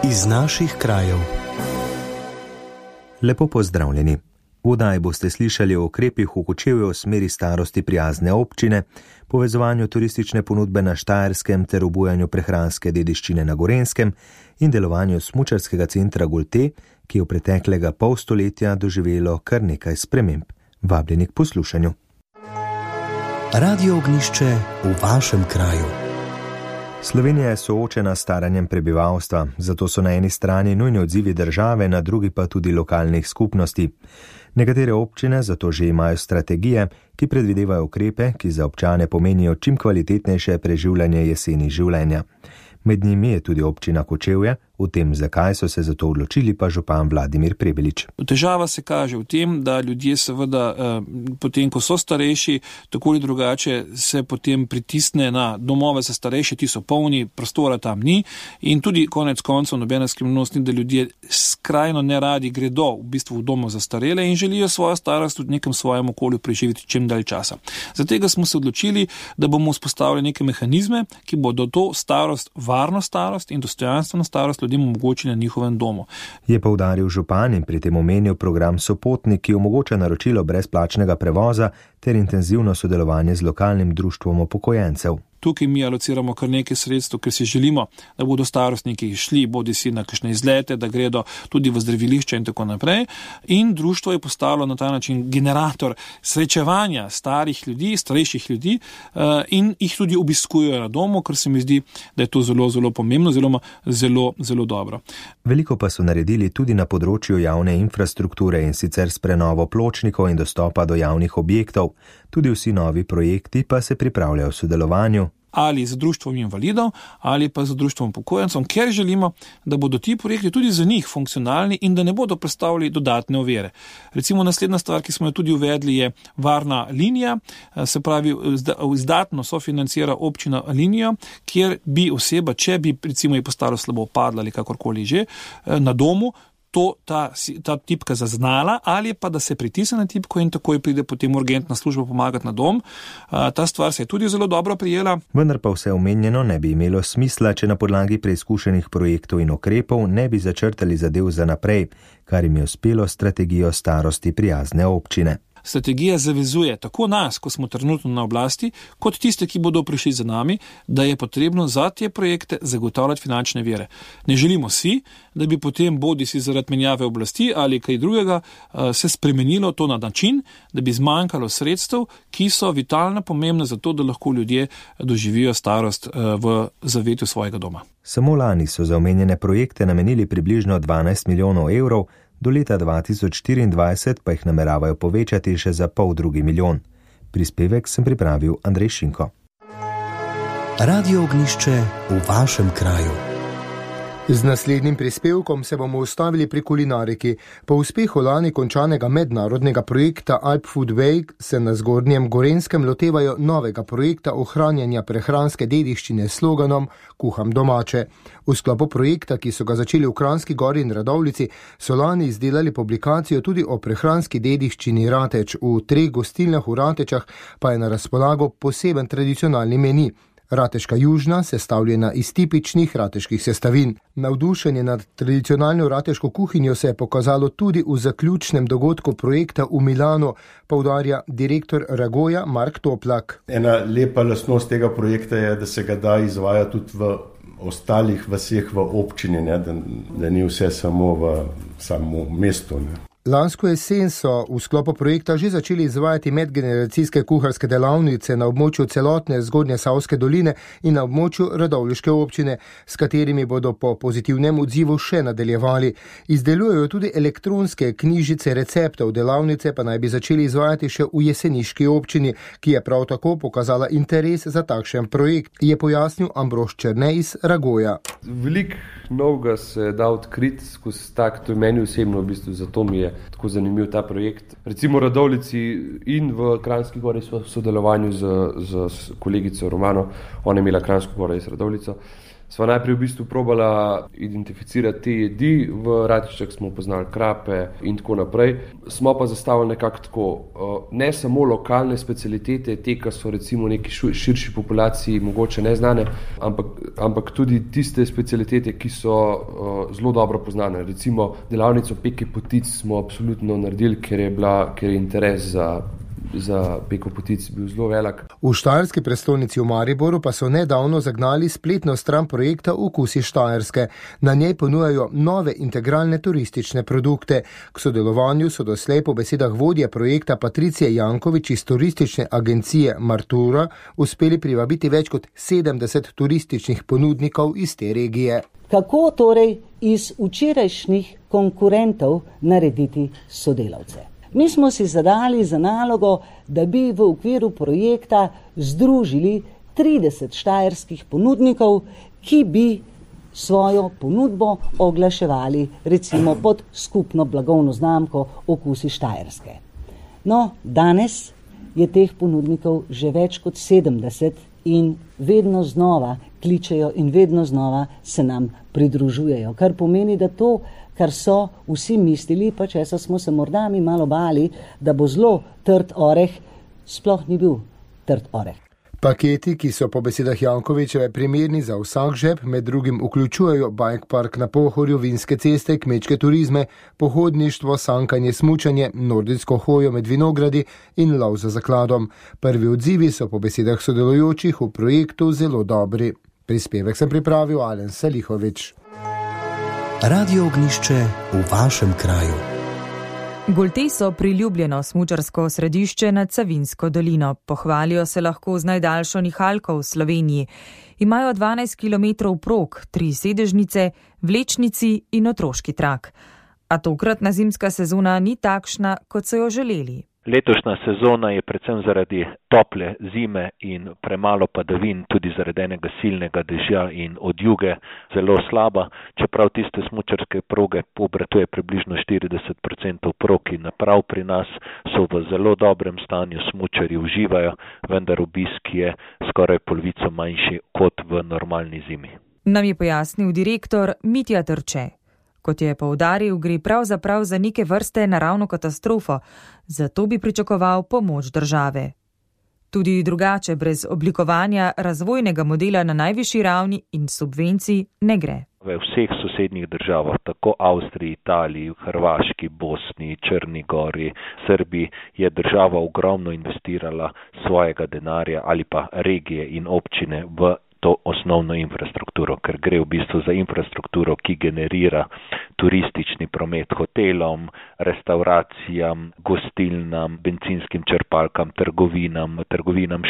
iz naših krajev. Lepo pozdravljeni. V oddaji boste slišali o ukrepih v Kočevju v smeri starosti prijazne občine, povezovanju turistične ponudbe na Štajerskem ter obujanju prehranske dediščine na Gorenjskem in delovanju smučarskega centra Gulte, ki je v preteklega pol stoletja doživelo kar nekaj sprememb. Vabljeni k poslušanju. Radio Ognjišče v vašem kraju. Slovenija je soočena s staranjem prebivalstva, zato so na eni strani nujni odzivi države, na drugi pa tudi lokalnih skupnosti. Nekatere občine zato že imajo strategije, ki predvidevajo ukrepe, ki za občane pomenijo čim kvalitetnejše preživljanje jeseni življenja. Med njimi je tudi občina Kočevje, v tem, zakaj so se za to odločili, pa župan Vladimir Prebelič. Težava se kaže v tem, da ljudje seveda potem, ko so starejši, tako ali drugače se potem pritisne na domove za starejše, ti so polni, prostora tam ni in tudi konec koncev nobena skrivnost ni, da ljudje skrajno neradi gredo v bistvu v domov za starele in želijo svojo starost v nekem svojem okolju preživeti čim dalj časa. Zato smo se odločili, da bomo vzpostavili neke mehanizme, ki bodo to starost, varno starost in dostojanstveno starost ljudem omogočili na njihovem domu. Je poudaril župan in pri tem omenil program Sopotnik, ki omogoča naročilo brezplačnega prevoza ter intenzivno sodelovanje z lokalnim društvom upokojencev. Tukaj mi alociramo kar nekaj sredstev, ker si želimo, da bodo starostniki šli bodisi na kakšne izlete, da gredo tudi v zdravilišče in tako naprej. In društvo je postalo na ta način generator srečevanja starejših ljudi in jih tudi obiskujejo na domu, ker se mi zdi, da je to zelo, zelo pomembno, zelo, zelo dobro. Veliko pa so naredili tudi na področju javne infrastrukture in sicer s prenovo pločnikov in dostopa do javnih objektov. Tudi vsi novi projekti pa se pripravljajo v sodelovanju. Ali z društvom invalidov, ali pa z društvom upokojencev, ker želimo, da bodo ti projekti tudi za njih funkcionalni in da ne bodo predstavljali dodatne ovire. Recimo naslednja stvar, ki smo jo tudi uvedli, je varna linija, se pravi, izdatno sofinancira občina linijo, kjer bi oseba, če bi recimo ji postalo slabo padla ali kakorkoli že, na domu, ta tipka zaznala ali pa da se pritisne na tipko in takoj pride potem urgentna služba pomagati na dom. Ta stvar se je tudi zelo dobro prijela. Vendar pa vse omenjeno ne bi imelo smisla, če na podlagi preizkušenih projektov in ukrepov ne bi začrtali zadev za naprej, kar jim je uspelo strategijo starosti prijazne občine. Strategija zavezuje tako nas, ko smo trenutno na oblasti, kot tiste, ki bodo prišli za nami, da je potrebno za te projekte zagotavljati finančne vire. Ne želimo si, da bi potem bodisi zaradi menjave oblasti ali kaj drugega se spremenilo to na način, da bi zmanjkalo sredstev, ki so vitalno pomembne za to, da lahko ljudje doživijo starost v zavetju svojega doma. Samo lani so za omenjene projekte namenili približno 12 milijonov evrov, do leta 2024 pa jih nameravajo povečati še za 0,5 milijon. Prispevek sem pripravil Andrej Šinko. Radio Ognjišče v vašem kraju. Z naslednjim prispevkom se bomo ustavili pri kulinariki. Po uspehu lani končanega mednarodnega projekta Alp Food Week se na Zgornjem Gorenjskem lotevajo novega projekta ohranjanja prehranske dediščine s sloganom Kuham domače. V sklopu projekta, ki so ga začeli v Kranjski Gori in Radovljici, so lani izdelali publikacijo tudi o prehranski dediščini Rateč. V 3 gostilnah v Ratečah pa je na razpolago poseben tradicionalni meni. Rateška južna, sestavljena iz tipičnih rateških sestavin. Navdušenje nad tradicionalno rateško kuhinjo se je pokazalo tudi v zaključnem dogodku projekta v Milanu, poudarja direktor Ragoja Mark Toplak. Ena lepa lastnost tega projekta je, da se ga da izvaja tudi v ostalih vaseh v občini, da ni vse samo v samo mestu. Lansko jesen so v sklopu projekta že začeli izvajati medgeneracijske kuharske delavnice na območju celotne Zgornje Savske doline in na območju Radovljiške občine, s katerimi bodo po pozitivnem odzivu še nadaljevali. Izdelujejo tudi elektronske knjižice receptov, delavnice pa naj bi začeli izvajati še v Jeseniški občini, ki je prav tako pokazala interes za takšen projekt, je pojasnil Ambrož Černe iz Ragoja. Veliko novega se da odkriti skozi tak, to je meni osebno v bistvu, zato mi je tako zanimiv ta projekt. Recimo Radovljici in v Kranjski Gori so v sodelovanju z kolegico Romano, ona je imela Kranjsko Goro iz Radovljico, Sva najprej v bistvu probala identificirati te jedi, v Ratiščah smo poznali krape in tako naprej. Smo pa zastavili nekako tako, ne samo lokalne specialitete, te, ki so recimo neki širši populaciji mogoče neznane, ampak tudi tiste specialitete, ki so zelo dobro poznane. Recimo delavnico peke potic smo absolutno naredili, ker je interes za peko potic bil zelo velik. V štajerski prestolnici v Mariboru pa so nedavno zagnali spletno stran projekta Okusi Štajerske. Na njej ponujajo nove integralne turistične produkte. K sodelovanju so doslej po besedah vodje projekta Patricije Jankovič iz turistične agencije Martura uspeli privabiti več kot 70 turističnih ponudnikov iz te regije. Kako torej iz včerajšnjih konkurentov narediti sodelavce? Mi smo si zadali za nalogo, da bi v okviru projekta združili 30 štajerskih ponudnikov, ki bi svojo ponudbo oglaševali recimo pod skupno blagovno znamko Okusi Štajerske. No, danes je teh ponudnikov že več kot 70 in vedno znova kličejo in vedno znova se nam pridružujejo, kar pomeni, da to, kar so vsi mislili, pa česa smo se morda mi malo bali, da bo zelo trd oreh, sploh ni bil trd oreh. Paketi, ki so po besedah Jankovičeve primerni za vsak žep, med drugim vključujejo bike park na Pohorju, vinske ceste, kmečke turizme, pohodništvo, sankanje, smučanje, nordijsko hojo med vinogradi in lov za zakladom. Prvi odzivi so po besedah sodelujočih v projektu zelo dobri. Prispevek sem pripravil Alen Selihovič. Radio Ognjišče v vašem kraju. Goltej so priljubljeno smučarsko središče nad Savinjsko dolino. Pohvalijo se lahko z najdaljšo nihalko v Sloveniji. Imajo 12 km prog, 3 sedežnice, vlečnici in otroški trak. A tokratna zimska sezona ni takšna, kot so jo želeli. Letošnja sezona je predvsem zaradi tople zime in premalo padavin, tudi zaradi enega silnega dežja in odjuge, zelo slaba, čeprav tiste smučarske proge obratuje približno 40% prog in naprav pri nas so v zelo dobrem stanju, smučarji uživajo, vendar obisk je skoraj polovico manjši kot v normalni zimi. Nam je pojasnil direktor Mitja Trče. Kot je poudaril, gre pravzaprav za neke vrste naravno katastrofo, zato bi pričakoval pomoč države. Tudi drugače, brez oblikovanja razvojnega modela na najvišji ravni in subvencij ne gre. V vseh sosednjih državah, tako Avstriji, Italiji, Hrvaški, Bosni, Črni gori, Srbiji, je država ogromno investirala svojega denarja ali pa regije in občine v to osnovno infrastrukturo, ker gre v bistvu za infrastrukturo, ki generira turistični promet hotelom, restauracijam, gostilnam, benzinskim črpalkam, trgovinam,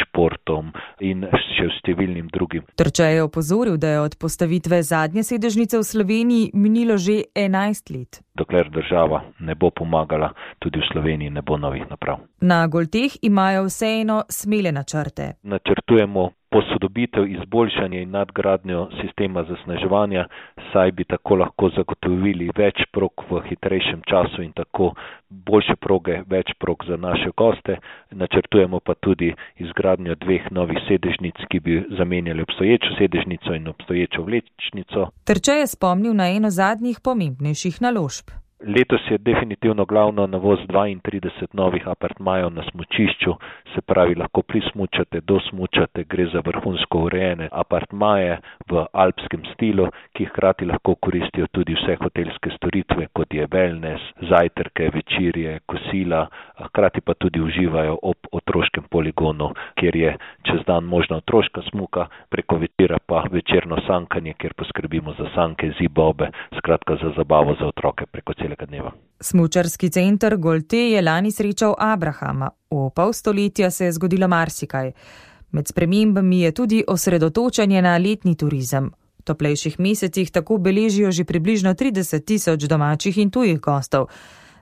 športom in še številnim drugim. Trče je opozoril, da je od postavitve zadnje sedežnice v Sloveniji minilo že 11 let. Dokler država ne bo pomagala, tudi v Sloveniji ne bo novih naprav. Na Golteh imajo vseeno smele načrte. Načrtujemo posodobitev, izboljšanje in nadgradnjo sistema zasneževanja, saj bi tako lahko zagotovili več prog v hitrejšem času in tako boljše proge, več prog za naše goste. Načrtujemo pa tudi izgradnjo 2 novih sedežnic, ki bi zamenjali obstoječo sedežnico in obstoječo vlečnico. Trče je spomnil na eno zadnjih pomembnejših naložb. Letos je definitivno glavno novost 32 novih apartmajev na smučišču, se pravi lahko prismučate, dosmučate, gre za vrhunsko urejene apartmaje v alpskem stilu, ki hkrati lahko koristijo tudi vse hotelske storitve, kot je wellness, zajtrke, večerje, kosila, hkrati pa tudi uživajo ob otroškem poligonu, kjer je čez dan možna otroška smuka, preko večera pa večerno sankanje, kjer poskrbimo za sanke, zibobe, skratka za zabavo za otroke preko celega dneva. Smučarski center Goltej je lani srečal Abrahama. V pol stoletja se je zgodilo marsikaj. Med spremembami je tudi osredotočanje na letni turizem. V toplejših mesecih tako beležijo že približno 30.000 domačih in tujih gostov.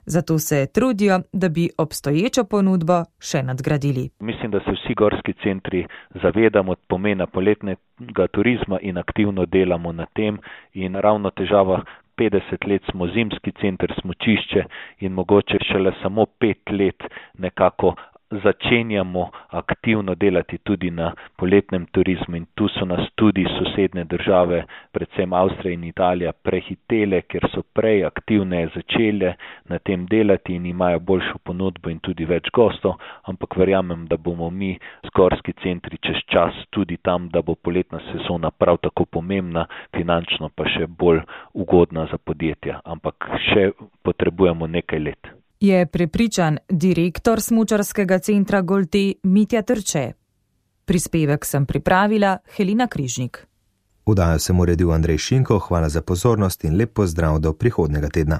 Zato se trudijo, da bi obstoječo ponudbo še nadgradili. Mislim, da se vsi gorski centri zavedamo pomena poletnega turizma in aktivno delamo na tem in ravno težava 50 let smo zimski center, smučišče in mogoče šele samo 5 let nekako začenjamo aktivno delati tudi na poletnem turizmu in tu so nas tudi sosednje države, predvsem Avstrija in Italija, prehitele, ker so prej aktivne začele na tem delati in imajo boljšo ponudbo in tudi več gostov, ampak verjamem, da bomo mi z Gorski centri čez čas tudi tam, da bo poletna sezona prav tako pomembna, finančno pa še bolj ugodna za podjetja, ampak še potrebujemo nekaj let. Je prepričan direktor smučarskega centra Golte Mitja Trče. Prispevek sem pripravila Helena Križnik. Vdajo sem uredil Andrej Šinko, hvala za pozornost in lep pozdrav do prihodnega tedna.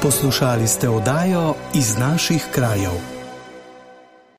Poslušali ste oddajo Iz naših krajev.